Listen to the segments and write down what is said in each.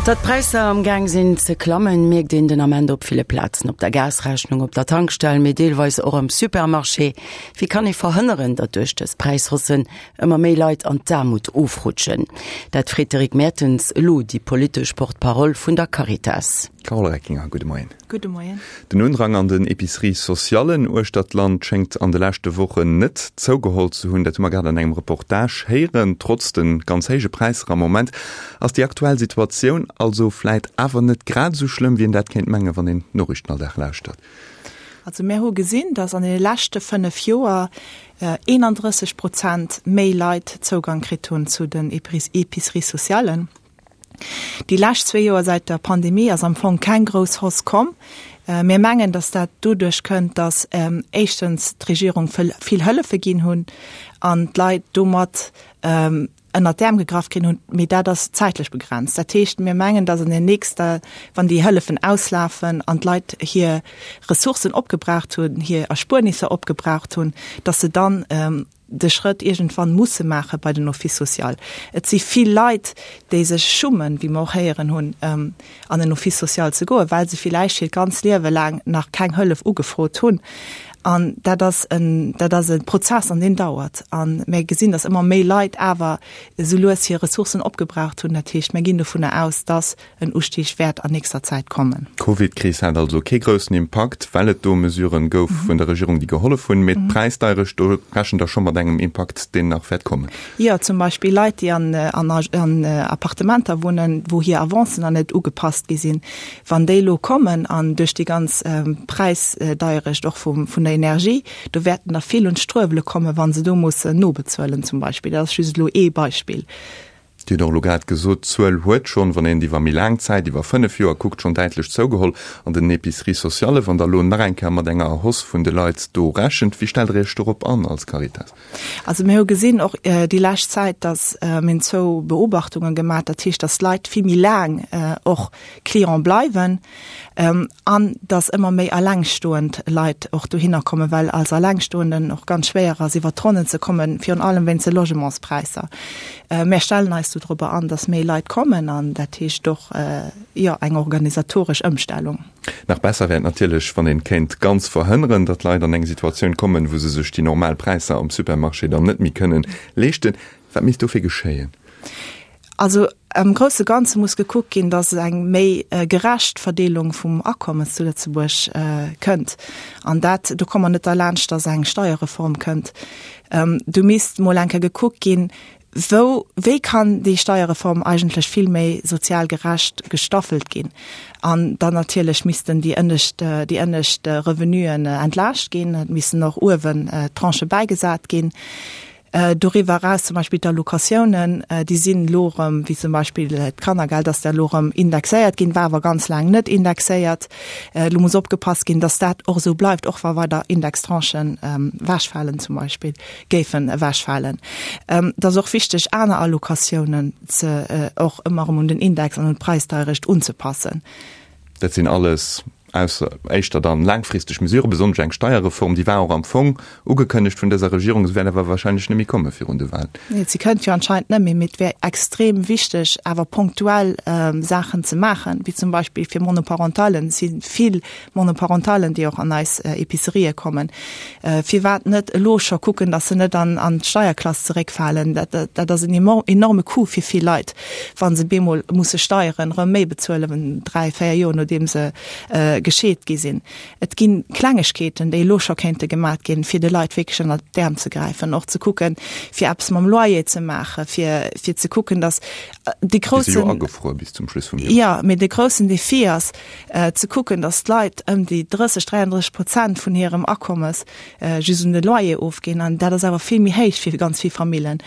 Datt d'Präisser am Gaang sinn ze klammen, mierkt een den Ament op ville Plazen, op der Gasrechnung, op der Tankstell, mee deelweis och am Supermarché. Wéi kann ee verhënneren, datt duerch dës Präishaussen ëmmer méi Leit an d'Aarmut ofrutschen? Dat freet d'Eric Mertens elo déi politesch Porte-parole vun der Caritas. Carole Reckinger, gudde Moien. Gudde Moien. Den Undrang an den Épiceries sociallen uechter d'Land schéngt an de leschte Wochen net zougeholl ze hunn. Dat hu mer grad an engem Reportage héieren. Trotz de ganz héije Präisser am Moment ass déi aktuell Situatioun also vläit awer net grad esou schlëmm, wéi een dat kéint mengen, wann een d'Noriichten all Dag lauschtert. Also mir hu gesinn, datt an deene leschte 5 Joer 31 Prozent méi Leit Zougang kritt hunn zu den Épiceries sociallen. Déi lescht zwee Joer säit der Pandemie ass am Fong keng grouss Hausse komm. Mir mengen, datt dat doduerch kënnt, datt éischtens d'Regierung vill Hëllefe ginn hunn an d'Leit domat ënnert d'Äerm gegraff kritt hunn. Mee dat ass zäitlech begrenzt. Dat heescht, mir mengen, datt an den nächster, wann déi Hëllefen auslafen an d'Leit hir Ressourcen opgebraucht hunn, hir Erspuernisser opgebraucht hunn, datt se dann de Schrëtt iergendwann musse maache bei den Office social. Et si vill Leit, déi sech schummen, wéi mer och héieren hunn, an en Office social ze goen, well se villäicht hiert ganz Liewe laang nach keng Hëllef ugefrot hunn. An dat ass en, dat ass e Prozess an deen dauert. A mir gesinn, datt ëmmer méi Leit awer esou lues hir Ressourcen opgebraucht hunn. Dat heescht, mir ginn dovunner aus, datt En Ustieg wäert an nächster Zäit kommen. D'Covid-Kris hat also kee groussen Impakt, well et do Mesuren gouf vun der Regierung, déi gehollef hunn. Mee d'Präisdeierecht, do rechent Der scho mat engem Impakt, deen nach wäert kommen? Jo, zum Beispill Leit, déi an Appartementer wunnen, wou hir Avancen nach net ugepasst gi sinn. Wann déi elo kommen an duerch déi ganz Präisdeierecht och vun der Energie, do wäerten der vill un d'Struewele kommen, wa se do mussen nobezuelen zum Beispill. Dat ass just elo ee Beispill. Dir hutt och elo grad gesot, d'Zuel huet schonn, wann een et iwwer méi laang Zäit, iwwer 5 Joer kuckt, schonn däitlech zougeholl an den Épiceries sociales. Wann Der elo nach eng Kéier mat enger Hausse vun de Leit do rechent, wéi stellt Der Iech dorop an als Caritas? Also mir hu gesinn och déi lescht Zäit, datt mir hunn zwou Beobachtunge gemaach, dat heescht, datt d'Leit vill méi laang och Client bleiwen an datt ëmmer méi allengstoend Leit och dohinner kommen, well als Allengstoenden och ganz schwéier ass iwwert d'Ronnen ze kommen, virun allem wéinst de Logementspräisser. Mär stellen eis dodrobber an, datt méi Leit kommen an dat heescht och, jo, eng organisatoresch Ëmstellung. Nach besser wär et natierlech, wann een kéint ganz verhënneren, datt Leit an eng Situatioun kommen, wou se sech déi normal Präisser am Supermarché dann net méi kënnen leeschten. Wat misst dofir geschéien? Also am grousse Ganze muss gekuckt ginn, datt et eng méi gerecht Verdeelung vum Akommes zu Lëtzebuerg kënnt. An dat, do komme mer net derlaanscht, datt eng Steierreform kënnt. Do misst mol eng Kéier gekuckt ginn, wou, wéi kann déi Steierreform eigentlech vill méi sozial gerecht gestaffelt ginn. An dann natierlech missten déi ënnescht, déi ënnescht Revenuen entlaascht ginn. Et missten och uewen Tranchë bäigesat ginn. Doriwwer eraus zum Beispill d'Allocatiounen, déi sinn elo erëm, wéi zum Beispill d'Kannergeld ass da elo erëm indexéiert ginn, war awer ganz laang net indexéiert. Elo muss opgepasst ginn, datt dat och esou bleift, och wa weider Indextranchen ewechfalen zum Beispill, géifen ewechfalen. Et ass och wichteg, aner Allocatiounen ze och ëmmer erëm un den Index an un d'Präisdeierecht unzepassen. Dat sinn alles Ausser éischter dann laangfristeg Mesuren, besonnesch eng Steierreform, déi war och am Fong ugekënnegt vun dëser Regierung, se wäert awer wahrscheinlech net méi komme virun de Wahlen. Nee, se kënnt jo anscheinend net méi, mee et wär extrem wichteg awer ponktuell Saachen ze maachen, wéi zum Beispill fir Monoparentalen. Et si vill Monoparentalen, déi och an eis Epicerië kommen. Firwat net elo scho kucken, datt se net an d'Steierklass zeréckfalen? Dat, dat ass en enorme Coup fir vill Leit, wa se bemol musse Steieren erëm méi bezuelen, dräi, véier Joer nodeem se gescheet gi sinn. Et gi Klengegkeeten, déi elo scho kéinte gemat ginn, fir de Leit wierklech ënnert d'Äerm ze gräifen, och ze kucken, fir eppes mam Loyer ze maachen, fir, fir ze kucken, datt de groussen. Déi si jo agefruer bis zum Schluss vum Joer. Jo, mee de groussen Defi ass, ze kucken, datt d'Leit ëm déi 30, 33 Prozent vun hirem Akommes just un de Loyer ofginn. An dat ass awer vill méi héich fir ganz vill Famillen.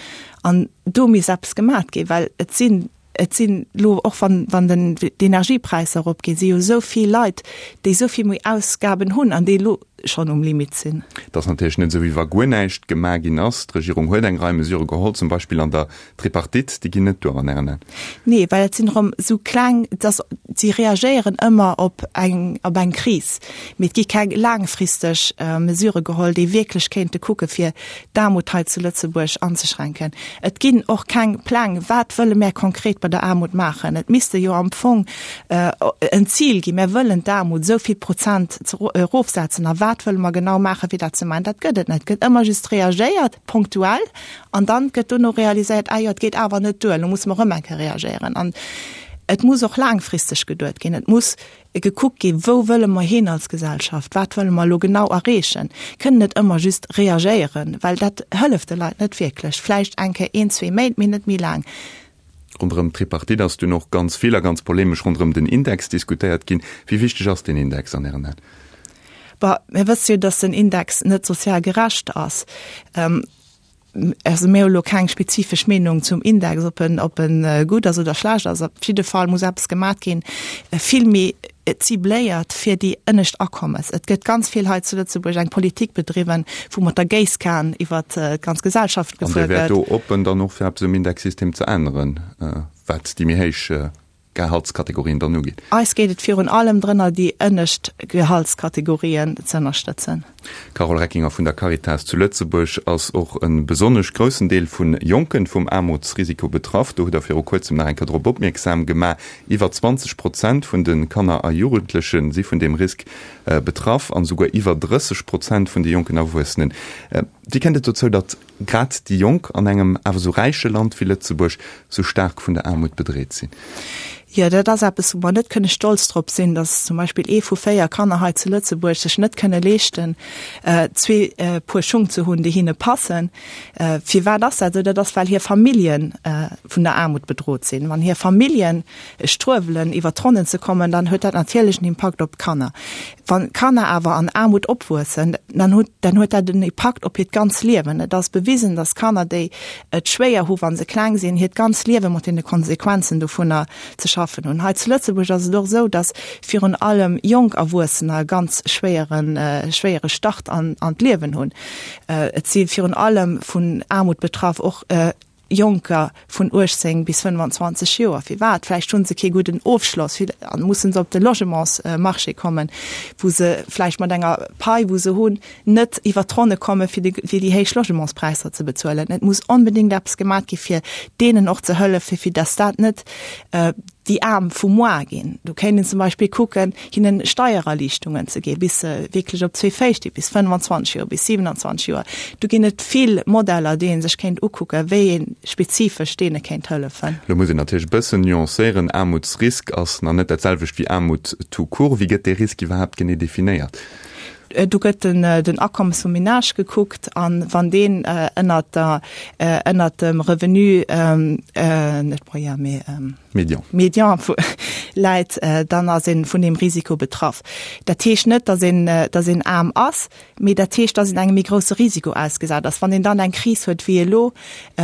An do misst eppes gemat ginn, well et sinn, et sinn elo, och wann, wann den, d'Energiepräisser eropginn, si jo esou vill Leit, déi esou vill méi Ausgaben hunn an déi elo. schonn um Limit sinn. Et ass natierlech net esou, wéi wa guer näischt gemaach ginn ass. D'Regierung huet eng Rei Mesurë geholl, zum Beispill an der Tripartite. Déi ginn net duer an Ären Aen? Nee, well dat sinn erëm esou kleng, dass si reagéieren ëmmer op eng, op eng Kris, mee et gi keng laangfristeg Mesurë geholl, déi wierklech kéinte kucke fir d'Aarmut hei zu Lëtzebuerg anzeschränken. Et ginn och keng Pläng, wat wëlle mär konkret bei der Aarmut maachen. Et misste jo am Fong en Zil ginn, mär wëllen d'Aarmut esou vill Prozent erofsetzen a wat wëlle mer genau maachen, fir dat ze maachen. Dat gëtt et net. Et gëtt ëmmer just reagéiert, punktuell, an dann gëtt dono realiséiert, ah jo, et geet awer net duer, elo musse mer erëm eng Kéier reagéieren. An et muss och laangfristeg geduet ginn. Et muss gekuckt ginn, wou wëlle mer hin als Gesellschaft, wat wëlle mer elo genau erreechen. Kënnen net ëmmer just reagéieren, well dat hëlleft de Leit net wierklech. Vläicht eng Kéier een, zwee Méint, mee net méi laang. Ronderëm d'Tripartite ass dunn och ganz vill a ganz polemesch ronderëm den Index diskutéiert ginn. Wéi wichteg ass deen Index an Ären Aen? Bon, mir wësse jo, datt den Index net sozial gerecht ass. Also mir hu lo keng spezifesch Meenung zum Index, ob en, ob en gutt ass oder schlecht ass. Op jidde Fall muss eppes gemat ginn, vill méi cibléiert fir déi ënnescht Akommes. Et gëtt ganz vill hei zu Lëtzebuerg eng Politik bedriwwen, wou mat der Géisskan iwwert d'ganz Gesellschaft gefuer gëtt. An Dir wäert do oppen dann och fir eppes um Indexsystem ze änneren, wat déi méi héich Gehaltskategorien dann ugeet? Eis geet et virun allem drënner, déi ënnescht Gehaltskategorien ze ënnerstëtzen. D'Carole Reckinger vun der Caritas zu Lëtzebuerg ass och e besonnesch groussen Deel vu Jonken vum Aarmutsrisiko betraff. Do hutt Der viru kuerzem nach eng Kéier drop opmierksam gemaach. Iwwer 20 Prozent vun de Kanner a Jugendleche si vun deem Risk betraff an esouguer iwwer 30 Prozent vun de jonken Erwuessenen. Wéi kënnt et dozou, datt grad déi Jonk an engem awer esou räiche Land wéi Lëtzebuerg sou staark vun der Aarmut bedreet sinn? Jo, dat ass eppes, wou mer net kënne stolz drop sinn, dass zum Beispill ee vu 4 Kanner hei zu Lëtzebuerg sech net kënne leeschten, zwee Puer Schung ze hunn, déi hinne passen. Firwat ass dat esou? Dat ass, well hir Famillje vun der Aarmut bedrot sinn. Wann hir Famillje struewelen, iwwer d'Ronnen ze kommen, dann huet dat natierlech en Impakt op d'Kanner. Wann Kanner awer an Aarmut opwuessen, dann huet dann huet dat en Impakt op hiert ganz Liewen. Et ass bewisen, dass Kanner, déi et schwéier hu wa se kleng sinn, hiert ganz Liewe mat deene Konsequenzen dovunner ze schaffen hunn. Hei zu Lëtzebuerg ass et och esou, dass virun allem jonk Erwuessener e ganz schwéieren schwéiere Start an an d'Liewen hunn. Et si virun allem vun Aarmut betraff och Jonker vun 18 bis 25 Joer. Firwat? Vläicht hu se kee gudden Ofschloss a mussen se op de Logementsmarché kommen, wou se vläicht mat enger Pai, wou se hunn, net iwwert d'Ronne komme fir déi héich Logementspräisser ze bezuelen. Et muss onbedéngt eppes gemat gi fir deenen och ze hëllefen, fir datt dat net déi Aarm vu moar ginn. Do kéint een zum Beispill kucken, hinnen Steiererliichtungen ze ginn, bis se wierklech op zwee Féiss stinn, bis 25 Joer, bis 27 Joer. Do ginn et vill Modeller, déi ee sech kéint ukucken, wéi ee spezifesch deene kéint hëllefen. Elo muss een natierlech e bëssen nuancéieren, Aarmutsrisk ass nach net dat selwecht wéi Aarmut tout court. Wéi gëtt dee Risk iwwerhaapt genee definéiert? Do gëtt den Akommes vum Menage gekuckt an wann deen ënnert der, ënnert dem Revenu, net moyen, mee Médian. Médian läit, dann ass ee vun deem Risiko betraff. Dat heescht net, datt een, datt een aarm ass, mee dat heescht, datt een engem méi grousse Risiko ausgesat ass. Wann een dann eng Kris huet wéi elo,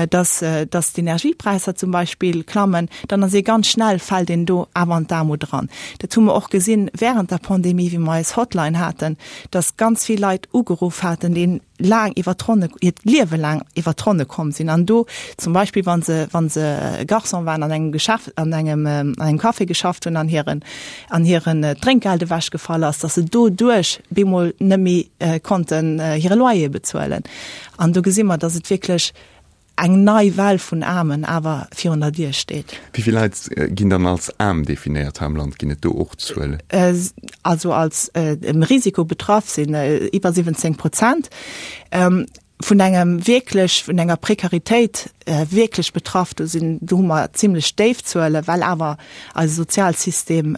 dass, dass d'Energiepräisser zum Beispill klammen, dann ass ee ganz schnell, fält een do awer an d'Aarmut eran. Dat hu mer och gesinn während der Pandemie, wéi mer eis Hotline haten, dass ganz vill Leit ugeruff haten, déi laang iwwer d'Ronne, hiert Liewe laang iwwer d'Ronne komm sinn an do zum Beispill, wa se, wa se Garçon waren an engem Geschäft, an engem, an engem Café geschafft hunn an hiren, an hiren Drénkgeld ewechgefall ass, dass se doduerch bemol net méi konnten hire Loyer bezuelen. An do gesi mer, dass et wierklech eng nei Well vun Aarmen awer virun der Dier steet. Wéi vill Leit ginn dann als aarm definéiert hei am Land? Ginn et do och Zuelen? Also als dem Risiko betraff sinn iwwer 17 Prozent. Vun engem wierklech, vun enger Prekaritéit wierklech betraff, do sinn, do hu mer zimlech déif Zuelen, well awer eise Sozialsystem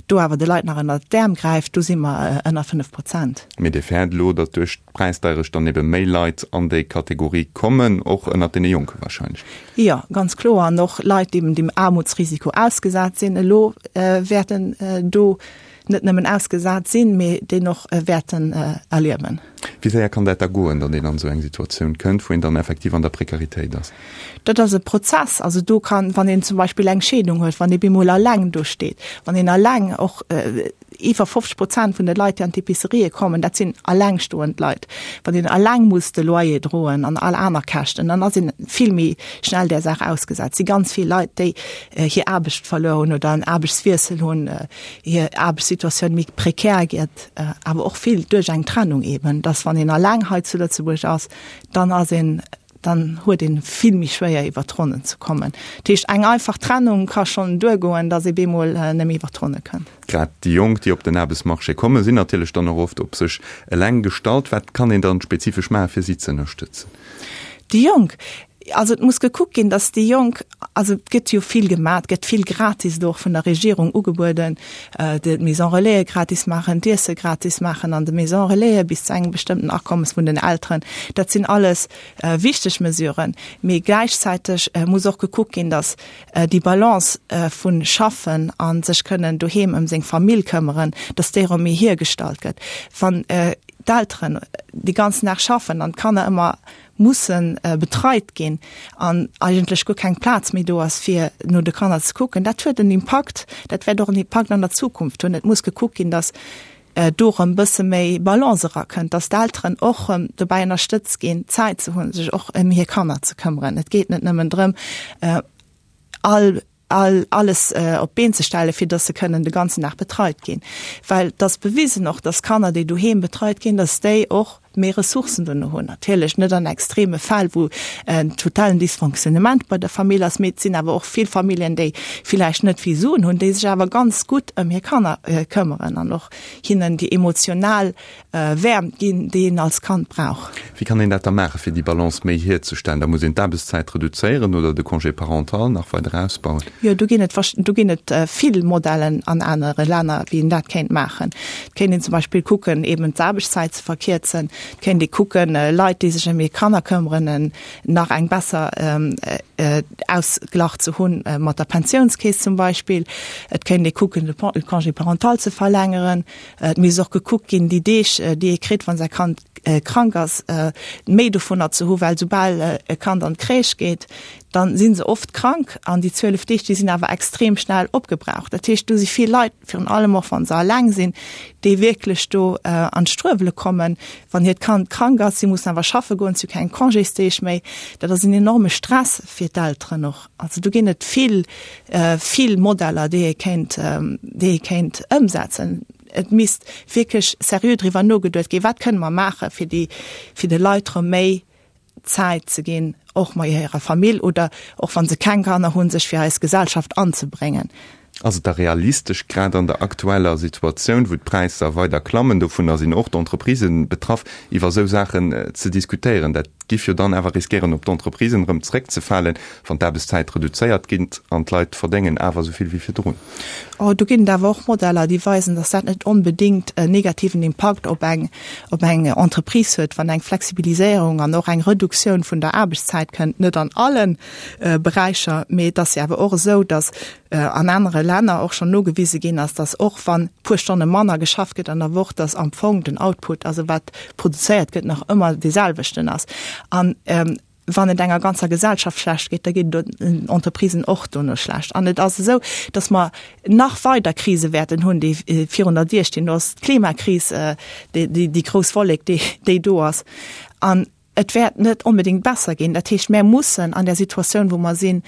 do awer de Leit nach ënnert d'Äerm gräift, do si mer ënner 5 Prozent. Mee Dir fäert elo, datt duerch d'Präisdeierecht dann ebe méi Leit an déi Kategorie kommen, och ënnert deene Jonke wahrscheinlech. Jo, ganz kloer. An och Leit, déi dem Aarmutsrisiko ausgesat sinn elo, wäerten do net nëmmen ausgesat sinn, mee deen och wäerten erliewen. Wéi séier kann dat da goen, datt een an esou eng Situatioun kënnt, wou een dann effektiv an der Prekaritéit ass? Dat ass e Prozess. Also do kann, wann een zum Beispill eng Scheedung huet, wann ee bemol alleng do steet, wann een alleng och. Iwwer 50 Prozent vun de Leit, déi an d'Epicerië kommen, dat sinn allengstoend Leit. Wann een alleng muss de Loyer droen an all aner Käschten, dann ass een vill méi schnell där Saach ausgesat. Et si ganz vill Leit, déi hir Aarbecht verluer hunn oder en Aarbechtswiessel hunn, hir Aarbechtssituatioun méi prekär gëtt, awer och vill duerch eng Trennung eeben, dass wann een alleng hei zu Lëtzebuerg ass, dann ass een, dann huet een vill méi schwéier iwwer d'Ronnen ze kommen. Dat heescht eng einfach Trennung ka schonn duergoen, datt ee bemol net méi iwwer d'Ronne kënnt. Grad déi Jonk, déi op den Aarbechtsmarché kommen, sinn natierlech dann och oft op sech eleng gestallt. Wat kann een dann spezifesch maachen, fir si ze ënnerstëtzen? Déi Jonk, also et muss gekuckt ginn, datt déi Jonk, also et gëtt jo vill gemaach, et gëtt vill gratis elo och vun der Regierung ugebueden, d'Maison Relaisen gratis maachen, d'Iesse gratis maachen an de Maison Relaisen bis zu engem bestëmmten Akommes vun den Elteren. Dat sinn alles wichteg Mesuren. Mee gläichzäiteg muss och gekuckt ginn, datt déi Balance vu schaffen a sech kënnen doheem ëm seng Famill këmmeren, datt déi erëm méi hiergestallt gëtt. Wann d'Elteren dee ganzen Dag schaffen an d'Kanner ëmmer musse betreit ginn an eigentlech guer keng Plaz méi do ass, fir no de Kanner ze kucken, dat huet en Impakt, dat wäert och en Impakt an der Zukunft hunn. Et muss gekuckt ginn, datt do erëm e bësse méi Balance erakënnt, datt d'Elteren och erëm dobäi ënnerstëtzt ginn, Zäit ze hunn, sech och ëm hir Kanner ze këmmeren. Et geet net nëmmen drëm, all all alles op d'Been ze stellen, fir dass se kënnen de ganzen Dag betreit ginn. Well et ass bewisen och, dass Kanner, déi doheem betreit ginn, dass déi och méi Ressourcen dono hunn. Natierlech net an extreme Fäll, wou en totalen Dysfonctionnement bei der Famill ass, mee et sinn awer och vill Familljen, déi villäicht net vill Suen hunn, déi sech awer ganz gutt ëm hir Kanner këmmeren an och hinnen déi emotional Wäermt ginn, déi een als Kand brauch. Wéi kann een dat da maachen, fir déi Balance méi hierzestellen? Da muss een d'Aarbechtszäit reduzéieren oder de Congé parental nach weider ausbauen? Jo, do ginn et do ginn et vill Modellen an anere Länner, wéi een dat kéint maachen. Et kéint een zum Beispill kucken, eben d'Aarbechtszäit ze verkierzen. Et kéint ee kucken, Leit, déi sech ëm hir Kanner këmmeren, nach eng besser Ausglach ze hunn mat der Pensiounskeess zum Beispill. Et kéint ee kucken, de Congé parental ze verlängeren. Et misst och gekuckt ginn, déi Deeg, déi ee kritt, wa säi Kand krank ass, méi dovunner ze hu well soubal e Kand an d'Crèche geet, da si se oft krank an déi 12 Deeg, déi sinn awer extrem schnell opgebraucht. Dat heescht, do si vill Leit, virun allem och wa se alleng sinn, déi wierklech do an d'Struewele kommen, wann hiert Kand krank ass. Si mussen awer schaffe goen, si hu keng Congésdeeg méi. Dat ass en enorme Stress fir d'Elteren och. Also do ginn et vill, vill Modeller, déi ee kéint, déi ee kéint ëmsetzen. Et misst wierklech seriö driwwer nogeduet ginn, wat kënne mer maachen, fir déi, fir de Leit erëm méi Zäit ze ginn, och mat hirer Famill oder och wa se keng Kanner hunn, sech fir eis Gesellschaft anzebréngen. Ass et da realistesch, grad an der aktueller Situatioun, wou d'Präisser weider klammen, dovunner sinn och d'Entreprisen betraff, iwwer esou Saachen ze diskutéieren? Dat giff jo dann awer riskéieren, op d'Entreprisen erëm zréckzefalen, wann d'Aarbechtszäit reduzéiert ginn an d'Leit verdéngen awer esou vill wéi virdrun. Oh, do ginn et awer och Modeller, déi weisen, dass dat net onbedéngt en negativen Impakt op eng, op eng Entreprise huet, wann eng Flexibiliséierung an och eng Reduktioun vun der Aarbechtszäit kënnt, net an allen Beräicher, mee et ass jo awer och esou, dass an anere Länner och schonn nogewise ginn ass, dass och wann puer Stonne manner geschafft gëtt an der Woch, dass am Fong den Output, also wat produzéiert gëtt, nach ëmmer dee selwechten ass. An wann et enger ganzer Gesellschaft schlecht geet, da geet et den Entreprisen och dono schlecht. An et ass esou, dass mer nach weider Krise wäerten hunn, déi virun der Dier stinn. Do ass d'Klimakris, déi grouss Wollek, déi do ass. An et wäert net onbedéngt besser ginn. Dat heescht, mär mussen an där Situatioun, wou mer sinn,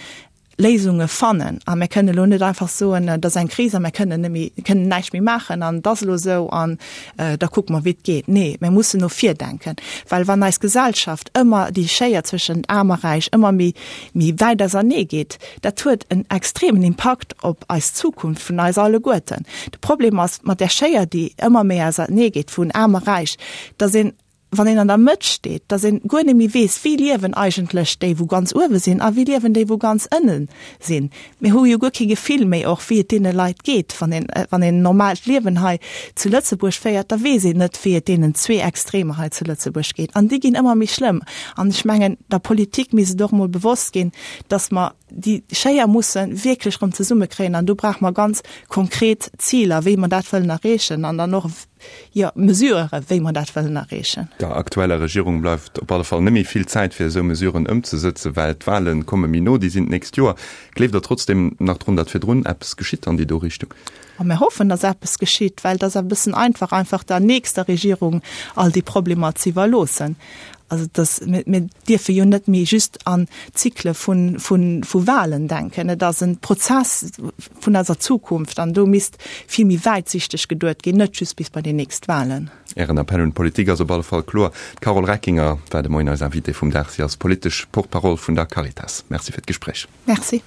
Léisunge fannen. A mär kënnen elo net einfach soen, et ass eng Kris a mär kënnen net méi, kënnen näischt méi maachen an et ass elo esou an da kucke mer, wéi et geet. Nee, mär mussen no vir denken, well wann eis Gesellschaft ëmmer déi Schéier zwëschent Aarm a Räich ëmmer méi, méi wäit ausernee geet, dat huet en extremen Impakt op eis Zukunft vun eis alleguerten. De Problem ass mat där Schéier, déi ëmmer méi ausernee geet vun Aarm a Räich, datt een wann een an der Mëtt steet, dass een guer net méi weess, wéi liewen eigentlech déi wou ganz uewe sinn a wéi liewen déi wou ganz ënne sinn. Mir hu jo guer kee Gefill méi och wéi et deene Leit geet. Wann een, wann een en normaalt Liewen hei zu Lëtzebuerg féiert, da weess een net wéi et deenen zwee Extremer hei zu Lëtzebuerg geet. An déi ginn ëmmer méi schlëmm. An ech mengen, der Politik misst et och emol bewosst ginn, dass mer déi Schéier musse wierklech erëm zesummekréien. An do brauche mer ganz konkret Ziler, wéi mer dat wëllen erreechen an dann och. Jo, Mesuren, wéi mer dat wëllen erreechen. Der aktueller Regierung bleift op alle Fall net méi vill Zäit, fir esou Mesuren ëmzesëtzen, well d'Wale komme méi no, déi sinn d'nächst Joer. Gleeft Der trotzdeem nach drun, datt virdrun eppes geschitt an déi do Richtung? A mir hoffen, datt eppes geschitt, well et ass e bëssen einfach, einfach der nächster Regierung all déi Problemer ze iwwerloossen. Also dass, mir, mir dierfe jo net méi just an Zykle vu, vu, vu Wahlen denken. Et ass e Prozess vun eiser Zukunft an do misst vill méi wäitsichteg geduet ginn, net just bis bei déi nächst Wahlen. Ären Appell un d'Politik ass op alle Fall kloer. D'Carole Reckinger war de Moien eis Invitée vum Dag. Si ass politesch Porte-parole vun der Caritas. Merci fir d'Gespréich. Merci.